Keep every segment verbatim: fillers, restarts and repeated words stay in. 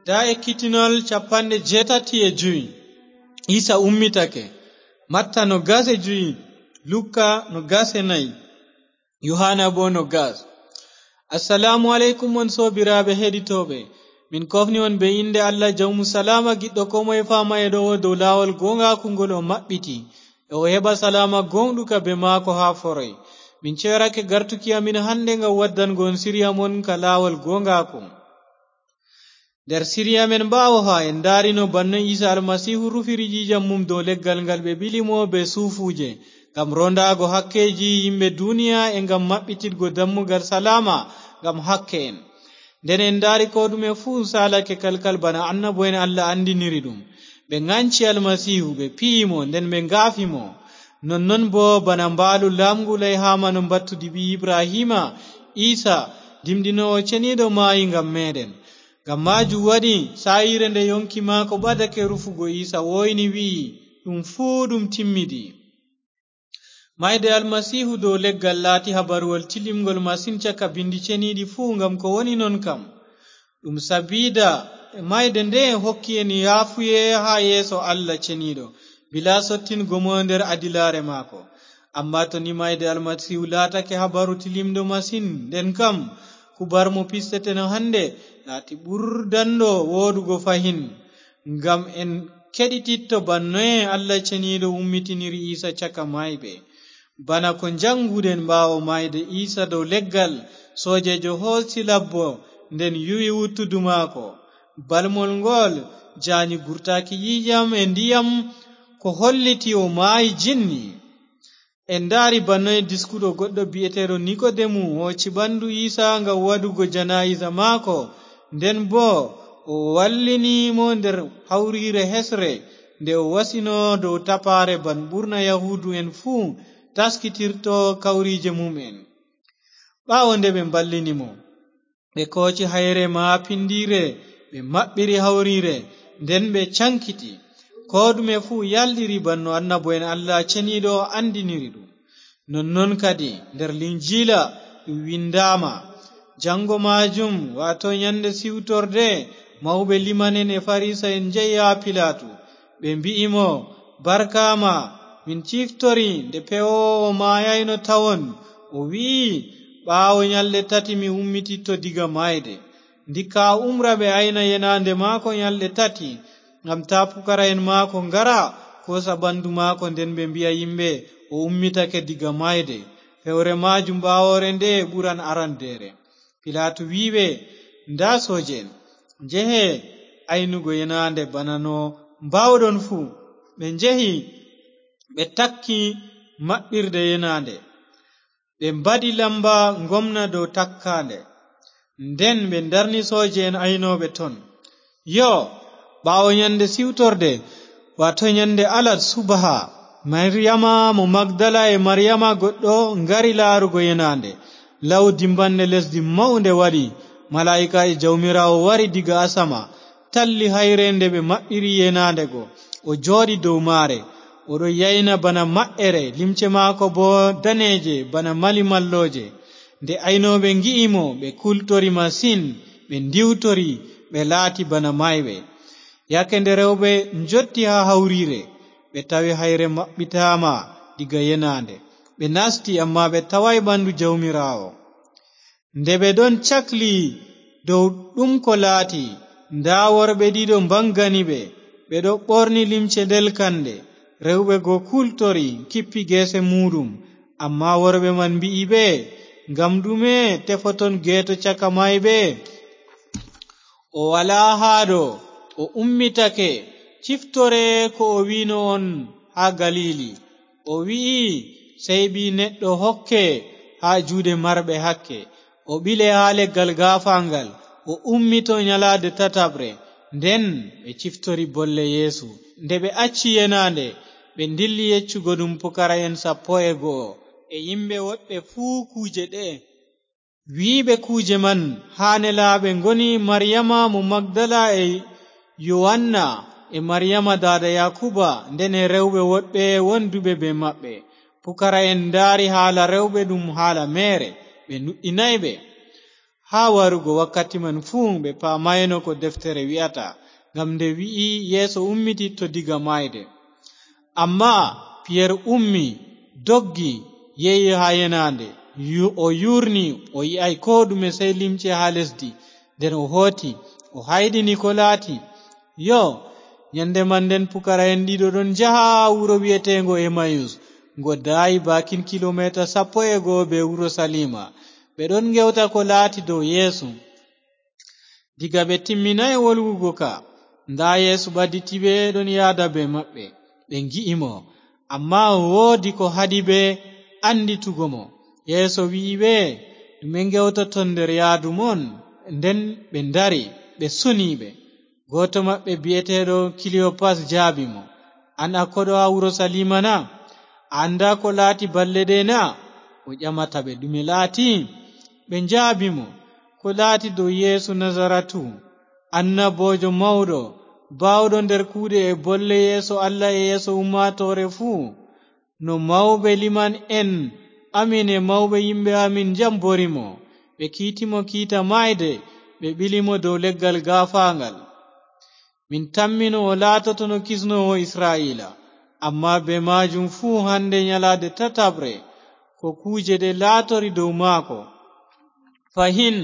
Daa ekkitinol capanɗe jeetati e jowi. Iisa ummitake. Matta no gas e jowi, Lukka no gas e nayi, Yuhaana boo no gas. Assalaamu aleykum, on soobiraaɓe heɗitooɓe. Min koofni on bee innde Allah, jawmu salaama, giɗɗo koo moye faama e ɗo'o dow laawol gooŋgaaku ngol o maɓɓiti, e o heɓa salaama gooŋɗuka bee maako haa foroy. Min ceerake gartuki amin hande ngam waddango on siriya mon ka laawol gooŋgaaku. Nder siriya men ɓaawo haa en ndaarino banno Iisa Almasiihu rufiri ƴiiƴam mum dow leggal ngal ɓe ɓili mo bee suufuuje, ngam roondaago hakkeeji yimɓe duniya e ngam maɓɓititgo dammugal salaama ngam hakke'en. Nden en ndaari koo ɗume fuu saalake kalkal bana annabo'en Allah anndiniri ɗum. Ɓe ŋanci Almasiihu, ɓe piyi mo, nden ɓe ngaafi mo. Nonnon boo bana mbaalu laamngu Layhaama no mbattudi ɓii Ibrahiima, Iisa, dimɗinoowo ceniiɗo maayi ngam meeɗen. Ngam maajum waɗi, saa'iire nde yoŋki maako ɓadake rufugo, Iisa wooyni, wi'i, "Ɗum fuu ɗum timmidi." Maayde Almasiihu dow leggal laati habaruwol tilimŋgol masin caka bindi ceniiɗi fuu, ngam ko woni non kam, ɗum sabiida maayde nde hokki en yaafuye haa yeeso Allah ceniiɗo, bilaa sottingo mo nder adilaare maako. Ammaa to ni maayde Almasiihu laatake habaru tilimɗo masin, nden kam kubar mo pisteten hande laati ɓurdanɗo wooɗugo fahin, ngam en keɗititto bannoye Allah ceniiɗo ummitiniri Iisa caka maayɓe. Bana ko njaŋnguɗen, ɓaawo maayde Iisa dow leggal, soojeejo hoosi labbo, nden yuwi wuttudu maako. Balmol ngol jaani gurtaaki ƴiiƴam e ndiyam, ko holliti o maayi jinni. En ndaari bannoye diskuɗo goɗɗo bi'eteeɗo Nikodemu hooci ɓandu Iisa ngam waɗugo janaa'iza maako, nden boo o wallini mo nder hawriire hesre, nde o wasino dow tapaare ban ɓurna Yahuudu'en fuu taskitirto kawriije mum'en. Ɓaawo nde ɓe mballini mo, ɓe kooci hayre maapindiire, ɓe maɓɓiri hawriire, nden ɓe caŋkiti. Koo ɗume fuu yalɗiri banno annabo'en Allah ceniiɗo anndiniri ɗum. Nonnon kadi nder Linjiila ɗum winndaama, "Jaŋngo maajum, waato nyannde siwtorde, mawɓe liman'en e Farisa'en njehi haa Pilaatu. Ɓe mbi'i mo, 'Barkaama, min ciftori nde pewoowo maayayno tawon.' O wi'i, 'Ɓaawo nyalɗe tati mi ummititto diga maayde.' Ndikka a umra ɓe ayna yenaande maako nyalɗe tati, ngam taa pukara'en maako ngara, koosa ɓandu maako, nden ɓe mbi'a yimɓe, 'O ummitake diga maayde.' Fewre maajum ɓaawoore nde ɓuran arandeere." Pilaatu wi'i ɓe, "Ndaa sooje'en, njehe aynugo yenaande bana no mbaawɗon fuu." Ɓe njehi, ɓe takki maɓɓirde yenaande. Ɓe mbaɗi lamba ngomna dow takkaande. Nden ɓe ndarni sooje'en aynooɓe ton. Yoo, ɓaawo nyande siwtorde, waato nyande alat subaha, Mariyama mo Magdala e Mariyama goɗɗo ngari laarugo yenaande. Law dimbanne lesdi mawnde waɗi, malaa'ikaajo Jawmiraawo wari diga asama, talli hayre nde ɓe maɓɓiri yenaande go. O jooɗi dow maare. O ɗon yayna bana maɓɓere, limce maako boo daneeje bana mali mallooje. Nde aynooɓe ngi'i mo, ɓe kultori masin, ɓe ndiwtori, ɓe laati bana maayɓe. Yaake nde rewɓe njotti haa hawriire, ɓe tawi hayre maɓɓitaama diga yenaande. Ɓe nasti, ammaa ɓe tawaay ɓandu Jawmiraawo. Nde ɓe ɗon cakli dow ɗum ko laati, ndaa worɓe ɗiɗo mbaŋgani ɓe, ɓe ɗo ɓorni limce ndelkanɗe. Rewɓe go kultori, kippi geese muuɗum. Ammaa worɓe man mbi'i ɓe, "Ngam ɗume tefoton geeto caka maayɓe? O walaa haa ɗo, o ummitake, ciftore ko o wi'no on haa Galiili. O wi'i, 'Sey Ɓii Neɗɗo hokke haa juuɗe marɓe hakke, o ɓile haa leggal gaafaangal, o ummito nyalaade tataɓre.'" Nden ɓe ciftori bolle Yeesu. Nde ɓe acci yenaande, ɓe ndilli yeccugo ɗum pukara'en sappo e go'o e yimɓe woɗɓe fuu kuuje ɗe'e. Wi'iiɓe kuuje man haa nelaaɓe ngoni Mariyama mo Magdala e Yowanna e Mariyama daada Yaakuba, nden e rewɓe woɗɓe wonduɓe bee maɓɓe. Pukara'en ndaari haala rewɓe ɗum haala meere, ɓe nuɗɗinaay ɓe. Haa warugo wakkati man fuu, ɓe paamaayno ko deftere wi'ata, ngam nde wi'i Yeesu ummititto diga maayde. Ammaa Piyer ummi, doggi, yehi haa yenaande. Yu-, o yuurni, o yi'aay koo ɗume, sey limce haa lesdi. Nden o hooti, o hayɗini ko laati. Yoo, nyande man nden, pukara'en ɗiɗo ɗon njaha wuro wi'eteengo Emayus, ngo daayi baakin kilomeeta sappo e go'o bee Urusaliima. Ɓe ɗon ngewta ko laati dow Yeesu. Diga ɓe timminaay wolwugo ka, ndaa Yeesu ɓaditi ɓe, ɗon yaada bee maɓɓe. Ɓe ngi'i mo, ammaa woodi ko haɗi ɓe annditugo mo. Yeesu wi'i ɓe, "Ɗume ngewtoton nder yaadu mon?" Nden ɓe ndari, ɓe suni ɓe. Gooto maɓɓe bi'eteeɗo Kiliyopas jaabi mo, "An a koɗo haa Urusaliima na? A anndaa ko laati balɗe ɗe na?" O ƴamata ɓe, "Ɗume laati?" Ɓe njaabi mo, "Ko laati dow Yeesu Nasaratu, annaboojo mawɗo, baawɗo nder kuuɗe e bolle yeeso Allah e yeeso ummaatoore fuu. No mawɓe liman'en amin e mawɓe yimɓe amin njambori mo, ɓe kiiti mo kiita maayde, ɓe ɓili mo dow leggal gaafaaŋgal. Min tammino o laatotono kisnoowo Isra'iila, ammaa bee maajum fuu hande nyalaade tataɓre ko kuuje ɗe laatori dow maako. Fahin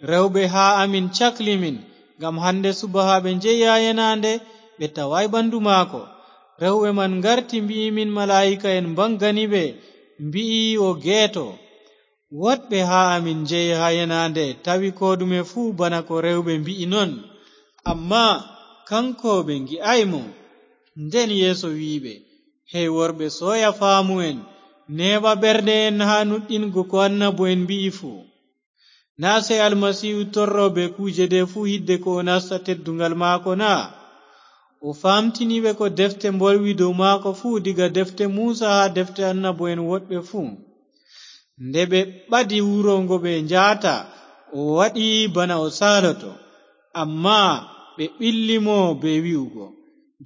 rewɓe haa amin cakli min, ngam hande subaka ɓe njehi haa yenaande, ɓe tawaay ɓandu maako. Rewɓe man ngarti, mbi'i min malaa'ika'en mbaŋgani ɓe, mbi'i o geeto. Woɗɓe haa amin njehi haa yenaande, tawi koo ɗume fuu bana ko rewɓe mbi'i non. Ammaa kaŋko ɓe ngi'aay mo." Nden Yeesu wi'i ɓe, "Hey worɓe, sooya faamu'en, neeɓa ɓerɗe'en haa nuɗɗingo ko annabo'en mbi'i fuu. Naa sey Almasiihu torro bee kuuje ɗe fuu hidde ko o nasta tedduŋgal maako na?" O faamtini ɓe ko defte mbolwi dow maako fuu, diga defte Muusa haa defte annabo'en woɗɓe fuu. Nde ɓe ɓadi wuro ngo ɓe njaata, o waɗi bana o saaloto. Ammaa ɓe ɓilli mo bee wi'ugo,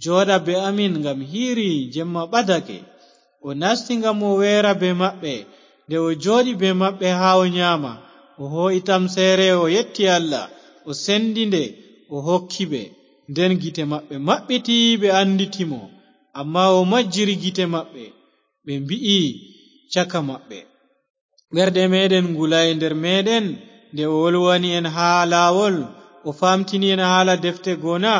"Jooɗa bee amin, ngam hiiri, jemma ɓadake." O nasti ngam o weera bee maɓɓe. Nde o jooɗi bee maɓɓe haa o nyaama, o hoo'i tamseere, o yetti Allah, o sendi nde, o hokki ɓe. Nden gite maɓɓe maɓɓiti, ɓe annditi mo. Ammaa o majjiri gite maɓɓe, ɓe mbi'i caka maɓɓe, "Ɓerɗe meeɗen ngulaay nder meeɗen nde o wolwani en haa laawol, o faamtini en haala defte goo na?"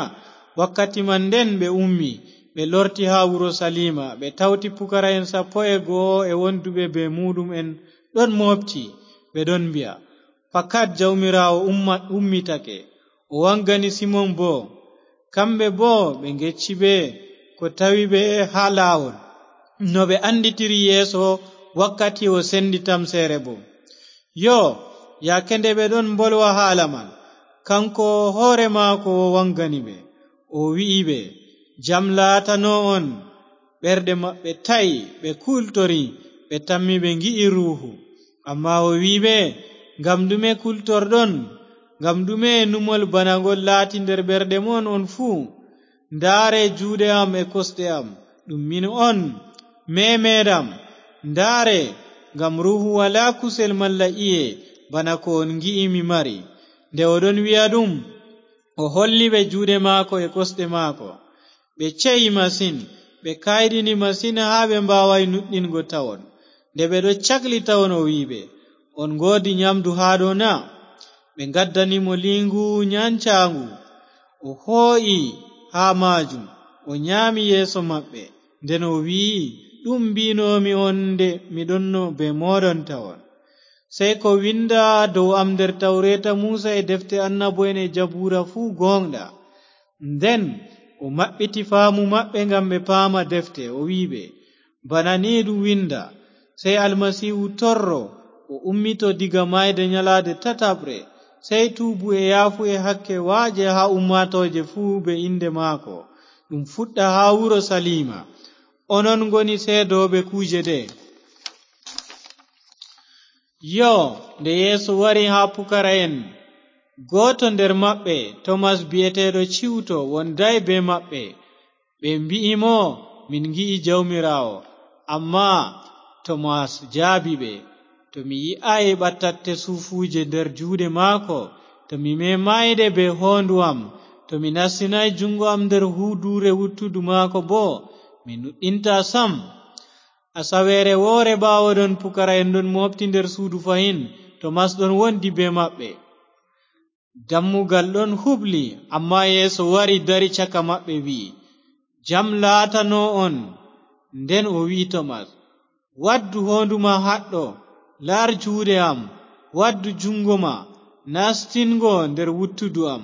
Wakkati man nden ɓe ummi, ɓe lorti haa Urusaliima, ɓe tawti pukara'en sappo e go'o e wonduɓe bee muuɗum'en ɗon mooɓti, ɓe ɗon mbi'a, "Fakat Jawmiraawo umma-, ummitake, o waŋgani Simon boo." Kamɓe boo ɓe ngecci ɓe ko tawi ɓe haa laawol, no ɓe annditiri Yeesu wakkati o sendi tamseere boo. Yoo, yaake nde ɓe ɗon mbolwa haala man, kaŋko hoore maako o waŋgani ɓe. O wi'i ɓe, "Jam laatano on." Ɓerɗe maɓɓe ta'i, ɓe kultori, ɓe tammi ɓe ngi'i Ruuhu. Ammaa o wi'i ɓe, "Ngam ɗume kultorɗon? Ngam ɗume numol bana ngol laati nder ɓerɗe mon on fuu? Ndaare juuɗe am e kosɗe am, ɗum min on. Meemeeɗam, ndaare, ngam Ruuhu walaa kusel malla i'e bana ko on ngi'i mi mari." Nde o ɗon wi'a ɗum, o holli ɓe juuɗe maako e kosɗe maako. Ɓe ceyi masin, ɓe kayɗini masin haa ɓe mbaawaay nuɗɗingo tawon. Nde ɓe ɗo cakli tawon, o wi'i ɓe, "On ngoodi nyamdu haa ɗo na?" Ɓe ngaddani mo liingu nyancaaŋgu. O hoo'i haa maajum, o nyaami yeeso maɓɓe. Nden o wi'i, "Ɗum mbi'noomi on nde mi ɗonno bee mooɗon tawon. Sey ko winda dow am nder Tawreeta Muusa e defte annabo'en e Jabuura fuu gooŋɗa." Nden o maɓɓiti faamu maɓɓe ngam ɓe paama defte, o wi'i ɓe, "Bana ni ɗum winda, sey Almasiihu torro, o ummito diga maayde nyalaade tataɓre, sey tuubu e yaafuye hakke waaje haa ummaatooje fuu bee innde maako, ɗum fuɗɗa haa Urusaliima. Onon ngoni seedooɓe kuuje ɗe'e." Yoo, nde Yeesu wari haa pukara'en, gooto nder maɓɓe, Tomas bi'eteeɗo Ciwto, wondaay bee maɓɓe. Ɓe mbi'i mo, "Min ngi'i Jawmiraawo." Ammaa Tomas jaabi ɓe, To mi yi'aay ɓattatte suufuuje nder juuɗe maako, to mi memaayde bee hoondu am, to mi nastinaay juŋngo am nder huuduure wuttudu maako boo, mi nuɗɗintaa sam. Asaweere woore, ɓaawo ɗon, pukara'en ɗon mooɓti nder suudu fahin, Tomas ɗon wondi bee maɓɓe. Dammugal ɗon huɓli, ammaa Yeesu wari, dari caka maɓɓe, wi'i, "Jam laatano on." Nden o wi'i Tomas, "Waddu hoondu ma haɗɗo, laar juuɗe am, waddu juŋngo ma, nastin ngo nder wuttudu am.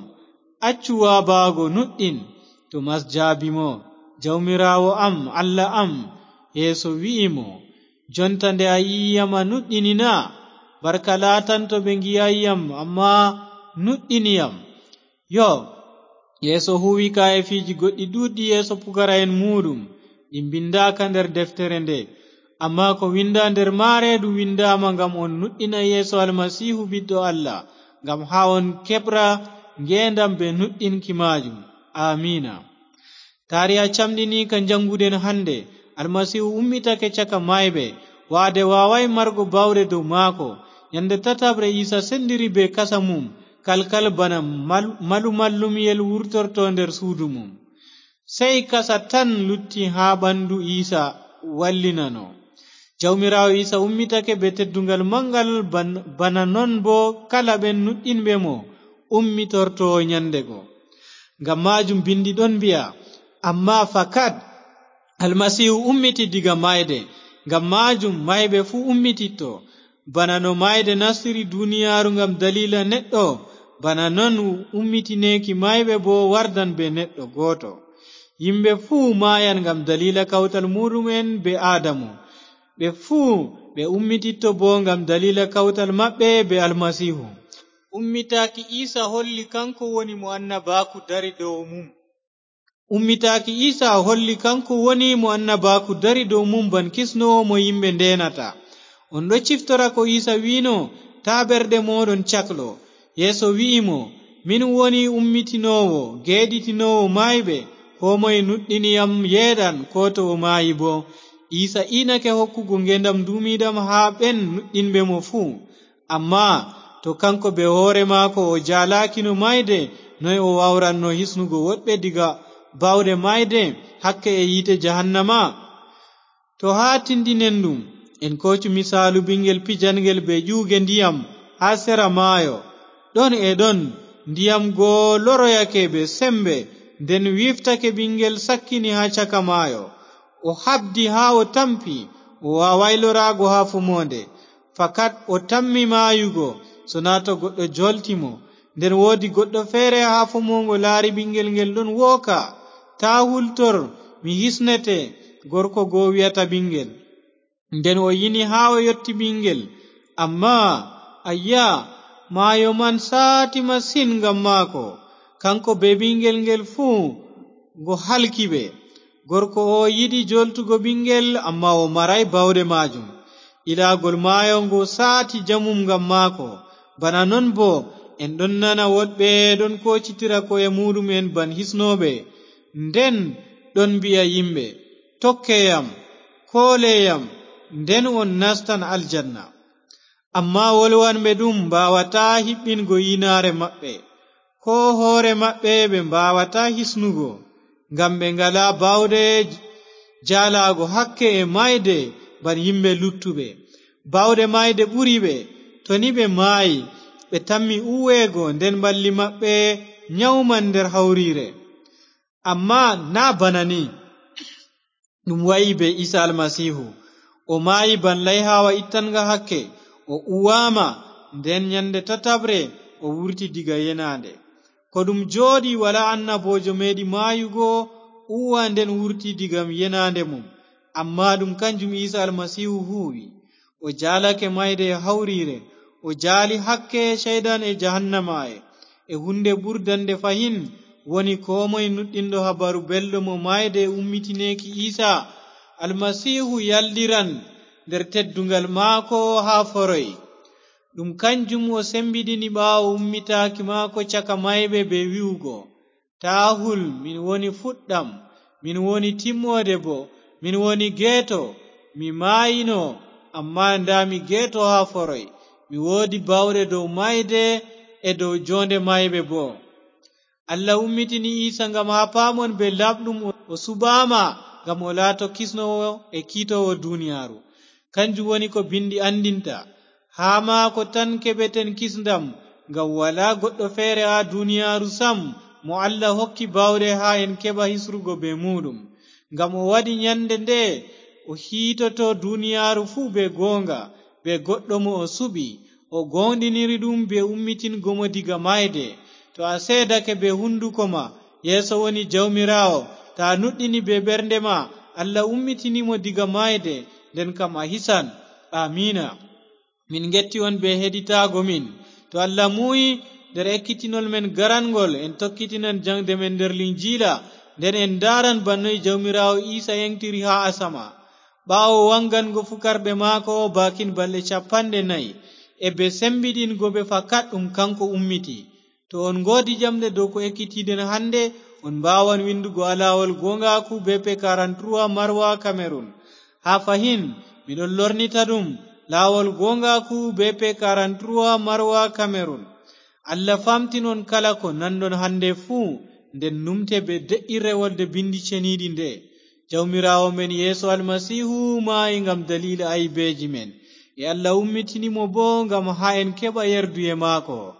Accu waabaago, nuɗɗin." Tomas jaabi mo, "Jawmiraawo am, Allah am!" Yeesu wi'i mo, "Jonta nde a yi'i yam, a nuɗɗini na? Barka laatanto ɓe ngi'aay yam, ammaa nuɗɗini yam." Yoo, Yeesu huuwi kaayeefiiji goɗɗi ɗuuɗɗi yeeso pukara'en muuɗum, ɗi mbinndaaka nder deftere nde. Ammaa ko winnda nder maare ɗum winndaama ngam on nuɗɗina Yeesu Almasiihu, Ɓiɗɗo Allah, ngam haa on keɓra ngeendam bee nuɗɗinki maajum. Aamiina. Taariha camɗiniika njaŋnguɗen hannde, Almasiihu ummitake caka maayɓe, waade waawaay margo baawɗe dow maako. Nyande tataɓre Iisa senndiri bee kasa mum kalkal bana mal-, malumallumyel wurtorto nder suudu mum. Sey kasa tan lutti haa ɓanndu Iisa wallinano. Jawmiraawo Iisa ummitake bee teddungal maŋngal ban-, bana non boo kala ɓen nuɗɗinɓe mo ummitorto nyande go. Ngam maajum binndi ɗon mbi'a, "Ammaa fakat Almasiihu ummiti diga maayde, ngam maajum maayɓe fuu ummititto." Bana no maayde nastiri duniyaaru ngam daliila neɗɗo, bana non ummitineeki maayɓe boo wardan bee neɗɗo gooto. Yimɓe fuu maayan ngam daliila kawtal muuɗum'en bee Aadamu. Ɓe fuu ɓe ummititto boo ngam daliila kawtal maɓɓe bee Almasiihu. Ummitaaki Iisa holli kanko woni mo annabaaku dari dow mum. Ummitaaki Iisa holli kanko woni mo annabaaku dari dow mum ban kisnoowo mo yimɓe ndeenata. On ɗo ciftora ko Iisa wi'no, "Taa ɓerɗe mooɗon caklo." Yeesu wi'i mo, "Min woni ummitinoowo, geeɗitinoowo maayɓe. Koo moye nuɗɗini yam yeeɗan, koo to o maayi boo." Iisa iinake hokkugo ngeendam nduumiiɗam haa ɓen nuɗɗinɓe mo fuu. Ammaa to kanko bee hoore maako o jaalaakino maayde, noy o waawranno hisnugo woɗɓe diga baawɗe maayde, hakke e yiite jahannama? To haa tindinen ɗum, en koocu misaalu ɓiŋngel pijangel bee ƴuuge ndiyam haa sera maayo. Ɗon e ɗon, ndiyam go loroyake bee semmbe, nden wiiftake ɓiŋngel sakkini haa caka maayo. O haɓdi haa o tampi, o waawaay loraago haa fomoonde. Fakat o tammi maayugo, sonaa to goɗɗo jolti mo. Nden woodi goɗɗo feere haa fomoongo laari ɓiŋngel ngel ɗon wooka. "Taa hultor, mi hisnete," gorko go wi'ata ɓiŋngel. Nden o yini haa o yotti ɓiŋngel. Ammaa, ayya, maayo man saati masin ngam maako. Kanko bee ɓiŋngel ngel fuu, ngo halki ɓe. Gorko o yiɗi joltugo ɓiŋngel, ammaa o maraay baawɗe maajum. Ilaagol maayo ngo saati jamum ngam maako. Bana non boo, en ɗon nana woɗɓe ɗon koocitira ko'e muuɗum'en ban hisnooɓe. Nden ɗon mbi'a yimɓe, "Tokke yam, koole yam, nden on nastan aljanna." Ammaa wolwanɓe ɗum mbaawataa hiɓɓingo yiinaare maɓɓe, koo hoore maɓɓe ɓe mbaawataa hisnugo, ngam ɓe ngalaa baawɗe j-, jaalaago hakke e maayde ban yimɓe luttuɓe. Baawɗe maayde ɓuri ɓe, to ni ɓe maayi, ɓe tammi uweego, nden ɓalli maɓɓe nyawman nder hawriire. Ammaa naa bana ni ɗum wa'i bee Iisa Almasiihu. O maayi ban layhaawa ittanga hakke, o uwaama, nden nyande tataɓre o wurti diga yenaande. Ko ɗum jooɗi, walaa annaboojo meeɗi maayugo, uwa nden wurti diga yenaande mum. Ammaa ɗum kanjum Iisa Almasiihu huuwi. O jaalake mayde e hawriire, o jaali hakke ceyɗan e jahannama'en. E huunde ɓurdannde fahin woni koo moy nuɗɗinɗo Habaru Belɗo mo mayde e ummitineeki Iisa Almasiihu yalɗiran nder teddungal maako haa foroy. Ɗum kanjum o sembiɗini ɓaawo ummitaaki maako caka mayɓe bee wi'ugo, "Taa hul, min woni fuɗɗam, min woni timmoode boo, min woni geeto. Mi maayino, Amma ndaa mi geeto haa foroy, mi woodi baawɗe dow maayde e dow joonde maayɓe boo. Allah ummitini Iisa ngam haa paamon bee laaɓɗum o suɓaama ngam o laato kisnoowo e kiitoowo duniyaaru. Kanjum woni ko Binndi anndinta, haa maako tan keɓeten kisndam, ngam walaa goɗɗo feere haa duniyaaru sam mo Allah hokki baawɗe haa en keɓa hisrugo bee muuɗum. Ngam o waɗi nyannde nde o hiitoto duniyaaru fuu bee gooŋga, bee goɗɗo mo o suɓi, o gooŋɗiniri ɗum bee ummitingo mo diga maayde. To a seedake bee hunnduko ma, Yeeso woni Jawmiraawo, to a nuɗɗini bee ɓernde ma, Allah ummitini mo diga maayde, nden kam a hisan. Aamiina. Min ngetti on bee heɗitaago min. To Allah muuyi, nder ekkitinol men garanŋgol, en tokkitinan jaŋde men nder Linjiila, nden en ndaaran bana noy Jawmiraawo Iisa yeŋtiri haa asama. Ɓaawo waŋgango fukarɓe maako baakin balɗe cappanɗe nayi, e bee sembiɗingo ɓe fakat ɗum kaŋko ummiti. To on ngoodi ƴamɗe dow ko ekkitiiɗen hannde, on mbaawan winndugo alawol gooŋgaaku B P quarante-trois Marwa Cameroon. Haa fahin, mi ɗon lornita ɗum, laawol gooŋgaaku B P quarante-trois Marwa Cameroon. Allah faamtinon kala ko nanɗon hannde fuu, nden numte bee de'irre wolde Binndi Ceniiɗi nde, Jawmiraawo men Yeesu Almasiihu maayi ngam daliila aybeeji men, e Allah ummitini mo boo ngam haa en keɓa yerduye maako.